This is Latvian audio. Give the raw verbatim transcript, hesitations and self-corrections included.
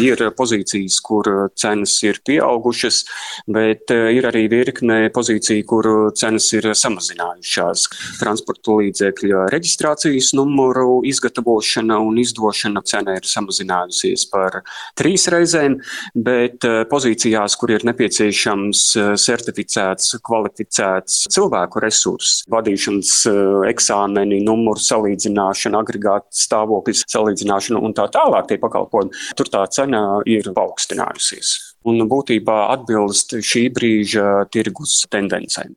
Ir pozīcijas, kur cenas ir pieaugušas, bet ir arī virkne pozīciju, kur cenas ir samazinājušās. Transporta līdzekļa reģistrācijas numuru izgatavošana un izdošana cena ir samazinājusies par trīs reizēm, bet pozīcijās, kur ir nepieciešams certificēts, kvalificēts cilvēku resurss, vadīšanas eksāmeni, numuru salīdzināšana, agregāta stāvoklis salīdzināšana un tā tālāk tie pakalpojumi, tur tā cena ir paaugstinājusies un būtībā atbilst šī brīža tirgus tendencēm.